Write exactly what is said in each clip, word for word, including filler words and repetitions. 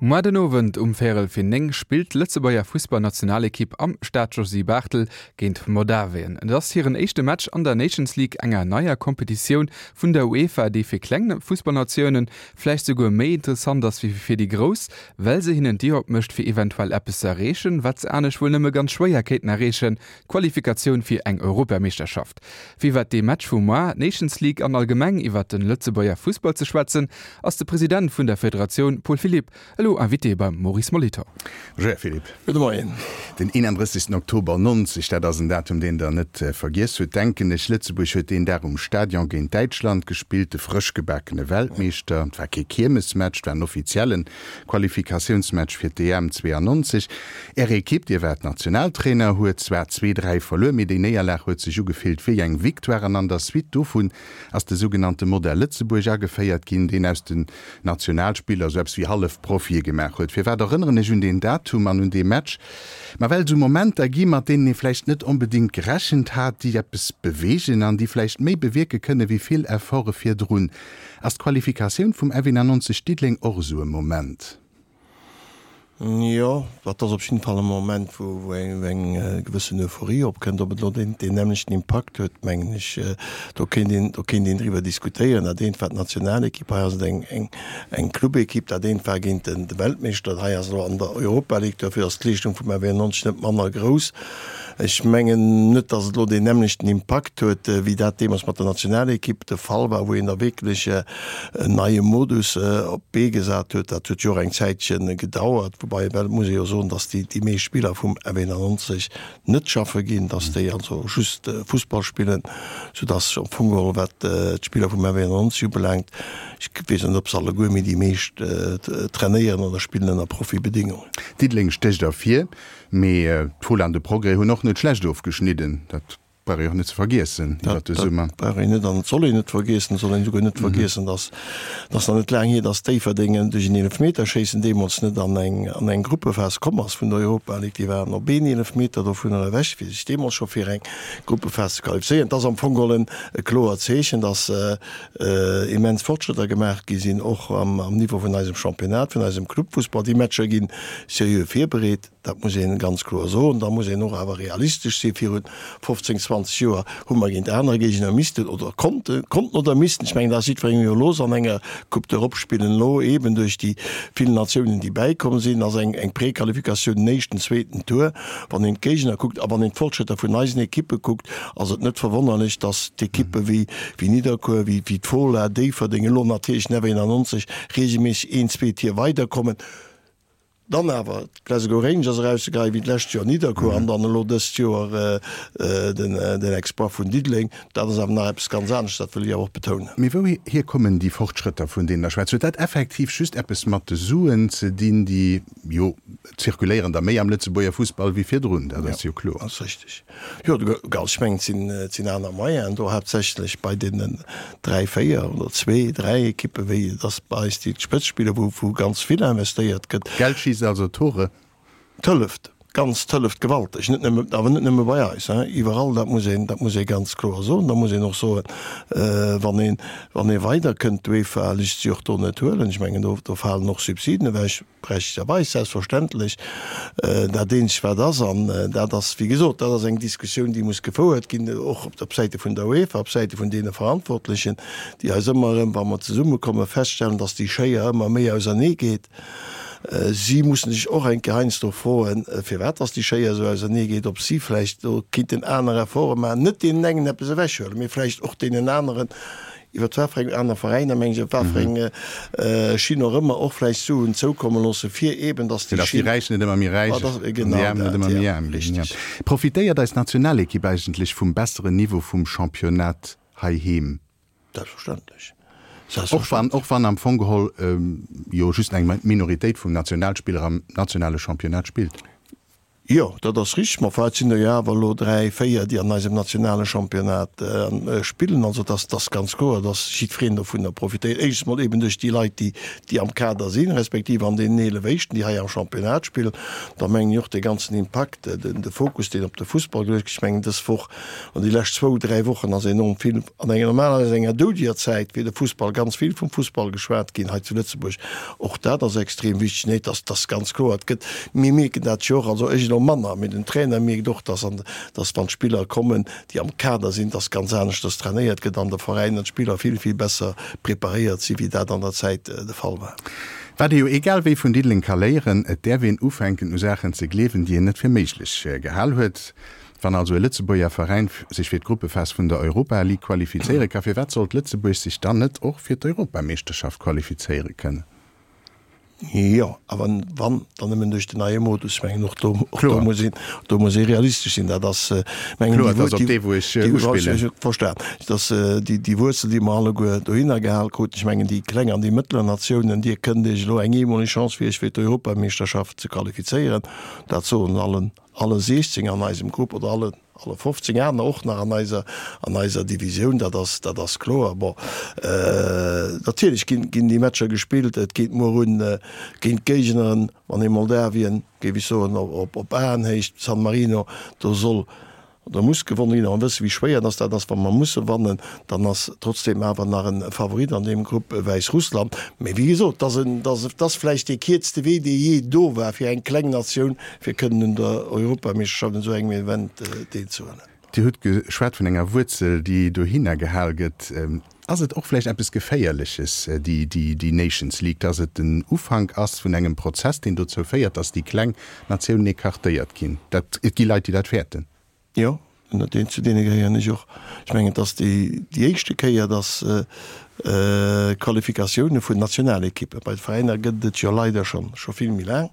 Muer den Owend um véierel fir néng spillt d'Lëtzebuerger Fussballnationalekipp am Stade Josy Barthel géint Moldawien. Et ass hiren éischte Match an der Nations League, enger neier Kompetitioun vun der UEFA, déi fir kleng Fussballnatiounen vläicht souguer méi interessant ass wéi fir déi grouss, well se hinnen d'Dier opmécht fir eventuell eppes ze erreechen, wat se anescht wuel nëmme ganz schwéier kéinten erreechen, d'Qualifikatioun fir eng Europameeschterschaft. Fir iwwert dee Match vu muer, d'Nations League an allgemeng iwwert de Lëtzebuerger Fussball ze schwätzen, ass de President vun der Federatioun Paul Philipp elo Invité beim Maurice Molitor. Bonjour Här Philipp. Gudde Moien. Den eenandrëssegsten Oktober nonzeg, dat ass en Datum, deen Der net vergiess hutt, denken ech. Lëtzebuerg huet deen Dag um Stadion géint Däitschland gespillt, de frëschgebakene Weltmeeschter. Et war kee Kiermesmatch, et war en offizielle Qualifikatiounsmatch fir d'E M zweeannonzeg. Är Ekipp, Dir waart Nationaltrainer, huet zwar zwee, dräi verluer, mee déi Néierlag huet sech ugefillt wéi eng Victoire. An an der Suite dovun ass de sougenannte Modell Lëtzebuerg ageféiert ginn, deen aus den Nationalspiller esou eppes wéi Hallefprofie gemaach huet. Firwat erënneren ech un deen Datum an un dee Match? Ma well et esou Momenter gi mat deenen ee vläicht net onbedéngt gerechent hat, déi eppes beweegen an déi vläicht méi bewierke kënne wéi vill Efforte virdrun. Ass d'Qualifikatioun vum F eenannonzeg Diddeleng och esou e Moment? Jo, dat ass op jidden Fall e Moment, wou eng gewëssen Euphorie opkënnt. Ob et elo deen nämmlechten Impakt huet, mengen ech, do kéint een, do kéint een driwwer diskutéieren. Dat eent war d'Nationalekipp, hei ass et eng, eng Clubekipp. Dat eent war géint de Weltmeeschter, hei ass elo an der Europa League. Dofir ass d'Leeschtung vum F eenannonzeg net manner grouss. Ech mengen net, datt et elo deen nämmlechten Impakt huet, wéi dat deemools mat der Nationalekipp de Fall war, wou een da wierklech en neie Modus op d'Bee gesat huet. Dat huet jo och eng Zäitche gedauert, woubai well et muss ee jo soen, datt déi déi meescht Spiller vum F eenannonzeg net schaffe ginn, datt déi also just Fussball spillen, soudatt am Fong geholl, wat d'Spiller vum F eenannonzeg ubelaangt, ech weess net, ob se alleguer, mee déi meescht trainéieren oder spillen ënner Profibedingungen. Diddeleng stécht ervir. Mee d'Fola an de Progrès hunn och net schlecht ofgeschnidden. Dat brauch ee och net ze vergiessen iwwert de Summer. Dat brauch een net an et soll een net vergiessen. Et soll een esouguer net vergiessen, dass dass nach net laang hier, dass Déifferdeng duerch en Eelefmeterschéissen deemools net an eng an eng Gruppephas komm ass vun der Europa League. Déi waren op een Eelefmeter dovunner ewech, fir sech deemools scho fir eng Gruppephas ze qualifizéieren. Et ass am Fong geholl e kloert Zeechen, dass immens Fortschrëtter gemaach gi sinn, och am Niveau vun eisem Championnat, vun eisem Clubfussball. Déi Matcher gi seriö virbereet. Dat muss ee ganz kloer soen. Da muss een och awer realistesch sinn. Viru fofzéng, zwanzeg Joer hu mer géint aner Géigner missten oder konnten, konnten oder missten, ech mengen, dat ass jiddwerengem iwwerlooss, an enger Coupe d'Europe spillen. Elo eeben duerch déi vill Natiounen, déi bäikomm sinn, ass eng eng Prequalifikatioun den éischten, zweeten Tour. Wann een d'Géigner kuckt a wann een d'Fortschrëtter vun eisen Ekippe kuckt, ass et net verwonnerlech, datt d'Ekippe wéi wéi Nidderkuer, wéi wéi d'Fola, Déifferdeng, elo natierlech den F eenannonzeg reegelméisseg een, zwee Tier weiderkommen. Dann awer d'Glasgow Rangers erauszegeheien, wéi d'lescht Joer Nidderkuer an dann elo dëst Joer den Exploit vun Diddeleng, dat ass awer nach eppes ganz anescht, dat wëll ech awer och betounen. Mee wouhier kommen déi Fortschrëtter, vun deenen Der schwätzt? Huet dat effektiv just eppes mat de Suen ze dinn, déi jo zirkuléieren der méi am Lëtzebuerger Fussball wéi virdrun, dat ass jo kloer. Dat ass richteg. Jo, ech mengen, et sinn aner Moyenen do, haaptsächlech bei deenen dräi, véier oder zwee, dräi Ekippe wéi et ass bei eis, déi d'Spëtzt spillen, wou wou ganz vill investéiert gëtt. Geld schiisst also Tore. Et hëlleft, ganz, et hëlleft gewalteg, net nëmme, awer net nëmme bei eis, hein, iwwerall, dat muss een, dat muss ee ganz kloer soen. Da muss een och soen, wann een, wann ee weiderkënnt, d'UEFA léisst sech och do net huelen, ech mengen do, do falen och Subsiden ewech, Berechtegterweis, selbstverständlech. Dat eenzegt wat ass, an dat ass, wéi gesot, dat ass eng Diskussioun, déi muss gefouert ginn, och op Säite vun der UEFA, op Säite vun deene Verantwortlechen, déi eis ëmmer erëm, wa mer zesummekommen, feststellen, datt déi Schéier ëmmer méi auserneegeet. Si mussen sech och eng Kéier heiansdo froen, firwat datt déi Schéier esou auserneegeet, ob si vläicht do kéinten aner Efforte maachen, net deenen engen eppes ewechhuelen, mee vläicht och deenen aneren, iwwer wat fir eng aner Veräiner, mengen ech, op wat fir eng Schinn och ëmmer, och vläicht Suen zoukomme loosse fir eeben, dass déi Fir dass déi Schinn. Räich net ëmmer méi räich Ah, an déi genau Aarm net dat, ëmmer méi ja, aarm ginn. richtig. Profitéiert eis Nationalekipp eigentlech vum besseren Niveau vum Championnat heiheem? Selbstverständlech. Och wann, Selbstverständlech. och wann am Fong geholl jo just eng Minoritéit vum Nationalspiller am nationale Championnat spillt? Jo, dat ass richteg, ma enfin, et sinn der jo awer elo dräi, véier, déi an eisem nationale Championnat spillen. Also et ass, et ass ganz kloer, dass jiddwereen dovunner profitéiert. Éischtens mol eben duerch déi Leit, déi, déi am Kader sinn, respektiv an deenen eelef Éischten, déi hei am Championnat spillen. Da mengen ech och dee ganzen Impakt, den, de Fokus, deen op de Fussball geluecht gëtt. Ech mengen, dës Woch an déi lescht zwou, dräi Wochen ass enorm vill, an enger normalerweis enger doudiger Zäit fir de Fussball, ganz vill vum Fussball geschwat ginn hei zu Lëtzebuerg. Och dat ass extrem wichteg. Nee, et ass, et ass ganz kloer, et gëtt, mir mierken dat jo och, also ech elo manner, mee den Trainer mierkt och, dass an, dass wann d'Spiller kommen, déi am Kader sinn, dass ganz aneschters trainéiert gëtt an de Veräiner, d'Spiller vill, vill besser preparéiert sinn, wéi dat an der Zäit de Fall war. Wat ee jo egal wéi vun Diddeleng ka léieren, Et däerf een ufänken u Saachen ze gleewen, déi een net fir méiglech gehal huet. Wann also e Lëtzebuerger Veräin sech fir d'Gruppephas vun der Europa League qualifizéiere ka, firwat sollt Lëtzebuerg sech dann net och fir d'Europameeschterschaft qualifizéiere kënnen? Jo, awer wann, dann nëmmen duerch den neie Modus. Ech mengen, och do, och do muss een, do muss ee realistesch sinn. Dat ass, mengen, Kloer, dat ass op dee, wou ech uspillen. Ech hu verstan. Dat ass déi, déi Wuerzel, déi mer alleguer dohinner gehal kruten. Ech mengen, déi kleng an déi mëttler Natiounen, Dir kënnt Iech elo eng eemoleg Chance fir Iech fir d'Europameeschterschaft ze qualifizéieren. Dat soen allen, alle siechzéng an eisem Grupp oder alle, alle fofzéng aner och nach an eiser, an eiser Divisioun, dat ass, dat ass kloer. Bon, natierlech ginn, ginn déi Matcher gespillt. Et geet muer un géint Géigneren, wann ee Moldawien, géif ech soen, op, op Aenhéicht, San Marino, do soll oder muss gewonnen ginn. A mer wësse wéi schwéier dass dat ass, wa mer musse wannen, dann ass trotzdeem awer nach e Favorit an deem Grupp Wäissrussland. Mee wéi gesot, et ass en, et ass vläicht dee kierzte Wee, dee jee do war fir eng kleng Natioun, fir kënnen un der Europameeschterschaft, un esou engem Event deelzehuelen. Dir hutt geschwat vun enger Wuerzel, déi dohinner gehal gëtt. Ass et och vläicht eppes Geféierleches, déi, déi Nations League, dass et den Ufank ass vun engem Prozess, deen dozou féiert, dass déi kleng Natiounen écartéiert ginn? Dat, et gi Leit, déi dat fäerten. Jo, deen, zu deene gehéieren ech och. Ech mengen, et ass déi, déi éischte Kéier, dass Qualifikatioune vun Nationalekippen, bei de Veräiner gëtt et jo leider schonn, scho vill méi laang,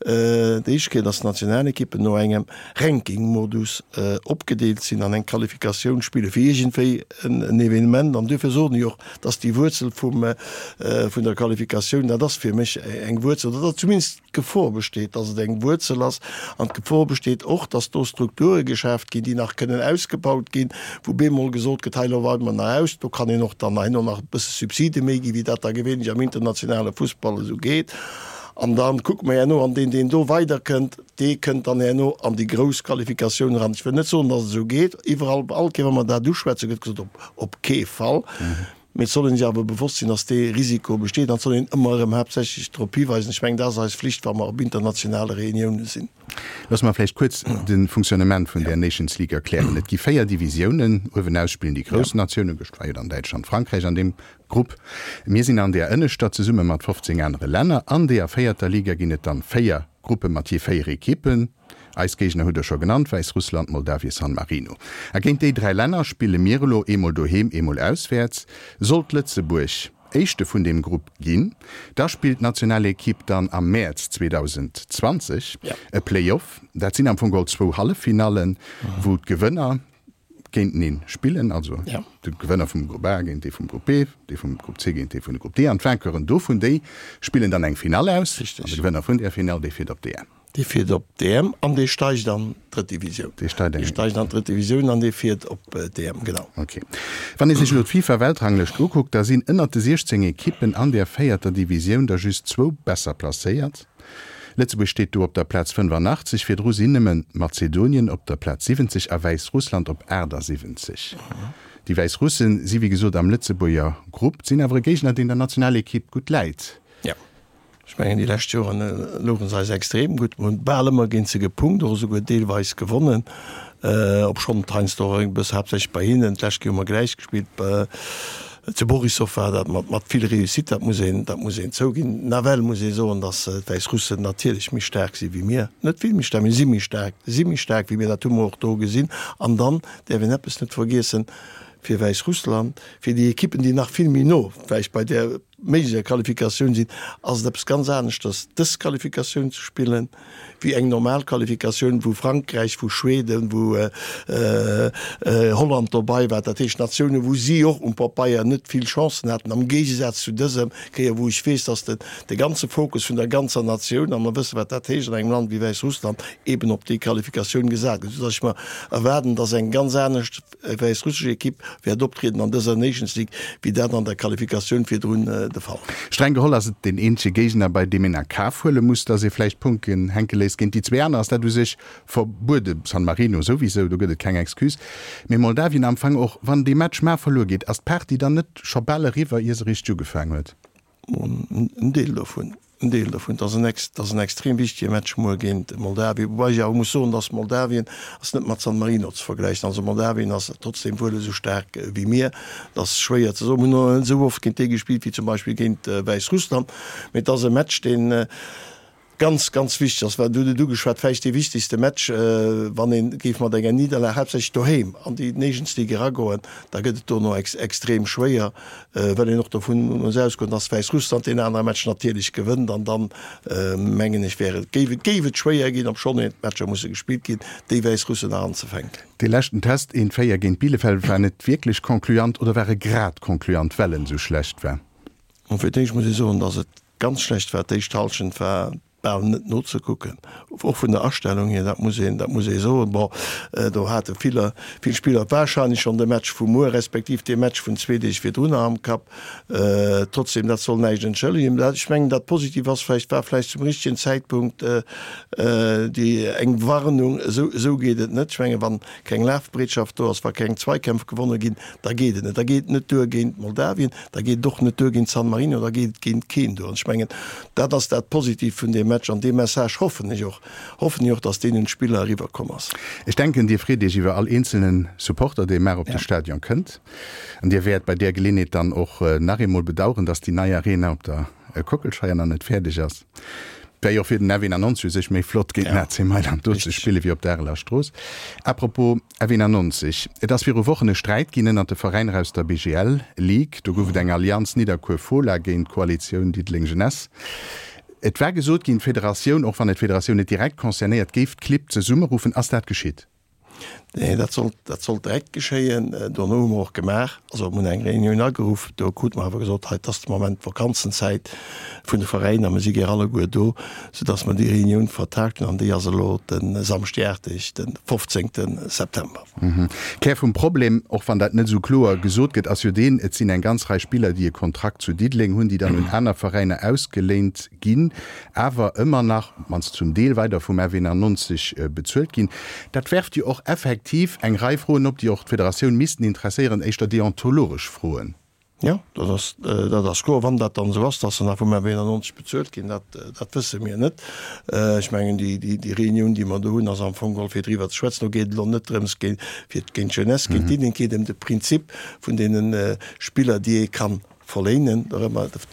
déi éischt Kéier, dass d'Nationalekippen no engem Ranking-Modus opgedeelt sinn an eng Qualifikatioun spille fir iergendwéi en Evenement. An duerfir soen ech och, dass déi Wuerzel vum, vun der Qualifikatioun, dat ass fir mech eng Wuerzel, oder zumindest d'Gefor besteet, dass et eng Wuerzel ass, an d'Gefor besteet och, dass do Strukture geschaaft ginn, déi nach kënnen ausgebaut ginn, wou bemol gesot gëtt, hei elo weide mer nach aus, do kann een och dann herno nach e bësse Subside méi ginn, wéi dat da gewéinlech am internationale Fussball esou geet. An da kucke mer herno, an deen, deen do weiderkënnt, dee kënnt dann herno an déi grouss Qualifikatioun eran. Ech wëll net soen, dass et esou geet. Iwwerall, all Kéier, wa mer dat uschwätzen, gëtt gesot, op, op kee Fall. Mee et soll een sech awer bewosst sinn, dass dee Risiko besteet an et soll een ëmmer erëm haaptsächlech drop hiweisen. Ech mengen, dat ass eis Flicht, wa mer op internationale Reunioune sinn. Loosse mer vläicht kuerz de Fonctionnement vun där Nations League erklären. Et gi véier Divisiounen. Uewenaus spillen déi grouss Natiounen, gëscht war jo dann Däitschland, Frankräich an deem Grupp. Mir sinn an där ënneschter zesumme mat fofzéng anere Länner. An deeër véierter Liga ginn et dann véier Gruppe mat jee véier Ekippen. Eis Géigner hutt Der scho genannt, Wäissrussland, Moldawien, San Marino. A géint déi dräi Länner spille mir elo eemol doheem, eemol auswäerts. Sollt Lëtzebuerg Éischte vun deem Grupp ginn, da spillt d'Nationalekipp dann am Mäerz zweedausendzwanzeg e Play-off. Dat sinn am Fong geholl zwou Halleffinallen, wou d'Gewënner géinteneen spillen, also de Gewënner vum Grupp A géint dee vum Grupp B, dee vum Grupp C géint dee vun de Grupp D an d'Vainqueuren dovun, déi spillen dann eng Finall aus an de Gewënner vun där Finall, dee fiert op d'E M. Dee fiert op d'E M an dee steigt an d'drëtt Divisioun. Dee steigt an d'drëtt Divisioun an dee fiert op d'E M, genau. Ok. Wann ee sech elo d'FIFA-Weltranglëscht ukuckt, da sinn ënnert de siechzéng Ekippen an där véierter Divisioun der just zwou besser placéiert. Lëtzebuerg steet do op der Plaz fënnefanaachtzeg, virdru sinn nëmme Mazedonien op der Plaz siwwenzeg a Wäissrussland op aachtasiwwenzeg. Déi Wäissrusse si wéi gesot am Lëtzebuerger Grupp, sinn awer e Géigner, deen der Nationalekipp gutt läit. Jo, ech mengen déi lescht Joren louche se eis extrem gutt. Mer hunn bal ëmmer géint se gepunkt, och esouguer deelweis gewonnen. Obschonn et heiansdo och e bësse haaptsächlech bei hinnen, d'lescht Kéier hu mer gläich gespillt, zu Borissow war dat mat mat vill Réussite, dat muss een, dat muss een zouginn. Nawell muss ee soen, datt d'Wäissrussen natierlech méi staark si wéi mir, net vill méi staark, mee si méi staark, si méi staark wéi mir, dat hu mer och do gesinn. An dann däerf een eppes net vergiessen, fir Wäissrussland, fir déi Ekippen, déi nach vill méi no vläicht bei där méiglecher Qualifikatioun sinn, ass et eppes ganz aneschters, dës Qualifikatioun ze spillen, wéi eng normal Qualifikatioun, wou Frankräich, wou Schweden, wou Holland dobei war, dat heescht Natiounen, wou si och um Papeier net vill Chancen haten, am Géigesaz zu dësem Kéier, wou ech weess, dass de ganze Fokus vun der ganzer Natioun, a mer wësse wat dat heescht an engem Land wéi Wäissrussland, eben op déi Qualifikatioun gesat gëtt, soudass ech mer erwaarden, dass eng ganz anescht wäissrussesch Ekipp wäert optrieden an dëser Nations League, wéi dat an der Qualifikatioun virdrun de Fall war. Streng geholl ass et deen eenzege Géigner, bei deem een a Kaf huele muss, datt ee vläicht Punkten hänke léisst. Géint déi zwee aner ass dat u sech verbueden, San Marino souwisou, do gëtt et keng Excuse. Mee Moldawien am Fong och, wann dee Match mar verluer geet, ass d'Partie dann net scho bal eriwwer, ier se richteg ugefaangen huet? En Deel dovun. En Deel dovun. Et ass en, et ass en extrem wichtege Match muer géint Moldawien, woubäi ech awer muss soen, dass Moldawien ass net mat San Marino ze vergläichen. Also Moldawien ass trotzdem wuel esou staark wéi mir. Et ass schwéier ze soen. Mir hunn och net esou oft géint déi gespillt wéi zum Beispill géint Wäissrussland. Mee et ass e Match, deen ganz, ganz wichteg ass, well du hutt et ugeschwat, vläicht dee wichtegste Match, wann ee géif mat enger Nidderlag, haaptsächlech doheem, an déi Nations League eragoen, da gëtt et dono extrem schwéier, well een och dovun muss ausgoen, dass Wäissrussland deen anere Match natierlech gewënnt an dann, mengen ech, wär et, géif et, géif et schwéier ginn, obschonn een d'Matcher musse gespillt ginn, déi Wäissrussen nach anzefänken. Dee leschten Test, een véier géint Bielefeld, war net wierklech concluant oder war e grad concluant, well en esou schlecht war? Bon, fir d'éischt muss ee soen, dass et ganz schlecht war. D'éischt Hallschent war bal net nozekucken, och vun der Astellung hier, dat muss een, dat muss ee soen. Bon, do hate vill, vill Spiller wahrscheinlech schonn de Match vu muer, respektiv dee Match vun zwee Deeg virdrunner am Kapp. Trotzdem, dat soll näischt entschëllegen. Ech mengen, dat Positiv ass vläicht, war vläicht zum richtigen Zäitpunkt déi eng Warnung, esou, esou geet et net. Ech mengen, wann keng Lafbereetschaft do ass, wa keng Zweikämpf gewonne ginn, da geet et net. Da geet et net duer géint Moldawien, da geet et och net duer géint San Marino, da geet et géint keen duer. An ech mengen, dat ass dat Positivt vun deem Match an dee Message hoffen ech och, hoffen ech och, dass deen un d'Spiller eriwwerkomm ass. Ech denken, Dir freet Iech iwwer all eenzelne Supporter, dee mar op de Stadion kënnt. An Dir wäert bei där Geleeënheet dann och nach eemol bedauern, dass déi nei Arena op der Kockelscheier nach net fäerdeg ass. Wär jo och fir den F eenannonzeg u sech méi flott, géint den A C Mailand do ze spille wéi op der Areler Strooss. À propos F eenannonzeg, Et ass viru Wochen e Sträit ginn ënnert de Veräiner aus der B G L Ligue. Do gouf et eng Allianz Nidderkuer-Fola géint d'Koalitioun Diddeleng-Jeunesse. Et war gesot ginn, d'Federatioun, och wann et d'Federatioun net direkt concernéiert, géif d'Clibb zesummeruffen. Ass dat geschitt? Nee, dat sollt, dat sollt direkt geschéien. Dono hu mer och gemaach, also mir hunn eng Reunioun ageruff, do krute mer awer gesot, hei, et ass de Moment d'Vakanzenzäit vun de Veräiner, mer si gär alleguer do, soudass mer déi Reunioun vertagt hunn an déi ass elo de Samschdiarteg, de fofzéngte September. Kär vum Problem, och wann dat net esou kloer gesot gëtt, ass jo deen, et sinn eng ganz Rei Spiller, déi e Kontrakt zu Diddeleng hunn, déi dann un aner Veräiner ausgeléint ginn, awer ëmmer nach, op d'mannst zum Deel, weider vum F eenannonzeg bezuelt ginn. Dat werft jo och effektiv eng Rei Froen op, déi och d'Federatioun missten interesséieren, éischter deontologesch Froen. Jo, dat ass, dat ass kloer. Wann dat dann esou ass, dass se nach vum F eenannonzeg bezuelt ginn, dat, dat wësse mir net. Ech mengen, déi, déi, déi Reunioun, déi mer do hunn, ass am Fong geholl fir driwwer ze schwätzen. Do geet et elo net drëms, géint, fir géint d'Jeunesse, géint d'Diddeleng, et geet ëm de Prinzip vun deene Spiller, déi ee kann verléinen,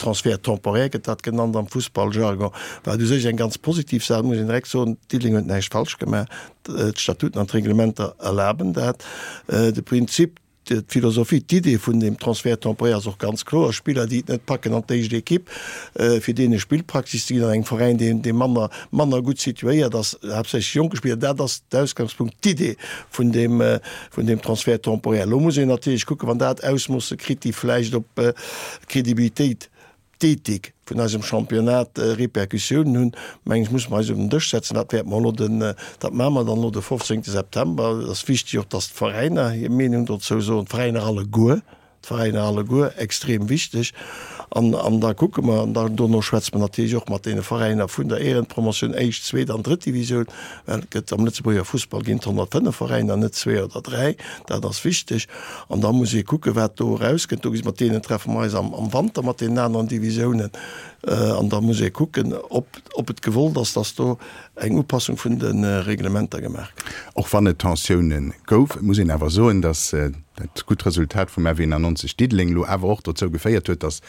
Transfert temporaire gëtt dat genannt am Fussballjargon, wat u sech eng ganz positiv Saach, muss een direkt soen, Diddeleng huet näischt falsch gemaach, d'Statuten an d'Reglementer erlaben dat. De Prinzip, d'Philosophie, d'Idee vun deem Transfert temporaire ass och ganz kloer, Spiller, déi et net packen an d'éischt Ekipp, fir deene Spillpraxis ze ginn an engem Veräin, deen, dee manner, manner gutt situéiert ass, haaptsächlech jonke Spiller, dat ass d'Ausgangspunkt, d'Idee vun deem, vun deem Transfert temporaire. Elo muss een natierlech kucken, wann dat Ausmoosse kritt, déi vläicht op d'Credibilitéit, d'Ethik vun eisem Championnat Répercussiounen hunn, mengen ech, musse mer eis un den Dësch setzen. Dat wäerte mer elo den, dat maache mer dann elo de fofzéngte September. Et ass wichteg och, dass d'Veräiner hir Meenung dozou soen, d'Veräiner alleguer. D'Veräiner alleguer, extrem wichteg. An, an da kucke mer, an da dono schwätze mer natierlech och mat deene Veräiner vun der Ehrenpromotioun, éischt, zweet an drëtt Divisioun, well et gëtt am Lëtzebuerger Fussball ginn et honnertfënnef Veräiner, net zwee oder dräi, dat ass wichteg. An da muss ee kucke wat do erauskënnt. Do gesi mat deenen treffe mer eis am, am Wanter mat deenen aneren Divisiounen. An da muss ee kucken, ob, ob et gewollt ass, dass do eng Upassung vun de Reglementer gemaach gëtt. Och wann et Tensioune gouf, et muss een awer soen, dass dat gutt Resultat vum F eenannonzeg Diddeleng elo awer och dozou geféiert huet, dass,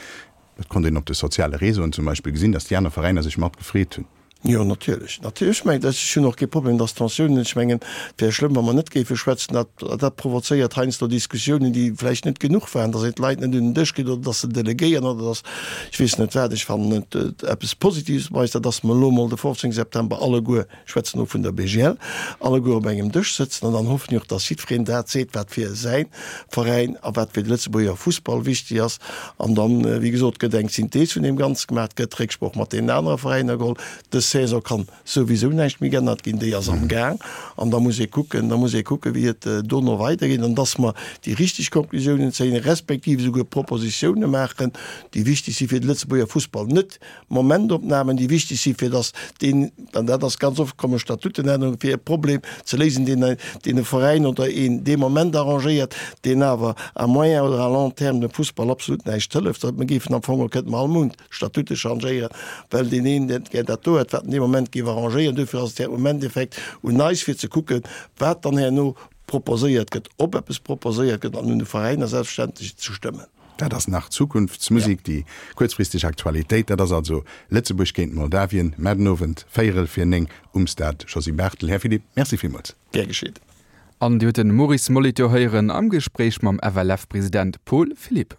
dat konnt een op de soziale Réseauen zum Beispill gesinn, dass déi aner Veräiner sech mat gefreet hunn. Jo, natierlech. Natierlech. Ech mengen, ech hunn och kee Problem, dass Tensiounen, ech mengen, et wär schlëmm, wa mer net géife schwätzen. Dat, dat provozéiert heiansdo Diskussiounen, déi vläicht net genuch waren, dass een d'Leit net un den Dësch kritt oder dass se delegéieren oder dass ech weess net wat. Ech fannen et eppes Positives bei eis, dat dass mer elo emol de fofzéng September alleguer, ech schwätzen elo vun der B G L, alleguer op engem Dësch sëtzen an dann hoffen ech och, dass jiddwereen dat seet, wat fir säi Veräin a wat fir de Lëtzebuerger Fussball wichteg ass. An dann, wéi gesot, gëtt eng Synthees vun deem Ganze gemaach, gëtt Récksproch mat deenen anere Veräiner geholl. Dës Saison kann souwisou näischt méi geännert ginn, déi ass am Gaang an da muss ee kucken, da muss ee kucken, wéi et dono weidergeet an dass mer déi richteg Konklusiounen zéien, respektiv esouguer Propositiounen maachen, déi wichteg si fir de Lëtzebuerger Fussball, net Momentopnamen, déi wichteg si fir dass deen, an dat ass ganz oft, komme Statutenännerungen, fir e Problem ze léisen, deen deen e Veräin oder een dee Moment arrangéiert, deen awer à moyen oder à long terme dem Fussball absolut näischt hëlleft. Mir géifen am Fong, kënnte mer all Mount Statute changéieren, well deen een dat gär dat do huet, wat en dee Moment géif arrangéieren. Duerfir ass et am Endeffekt un eis fir ze kucken, wat dann herno proposéiert gëtt, ob eppes proposéiert gëtt, an un de Veräiner selbstverständlech ze stëmmen. Dat ass nach Zukunftsmusik, déi kuerzfristeg Aktualitéit, dat ass also Lëtzebuerg géint Moldawien, muer den Owend véierel vir néng um Stade Josy Barthel. Här Philipp, merci villmools. Gär geschitt. An Dir hutt de Maurice Molitor héieren am Gespréich mam F L F-President Paul Philipp.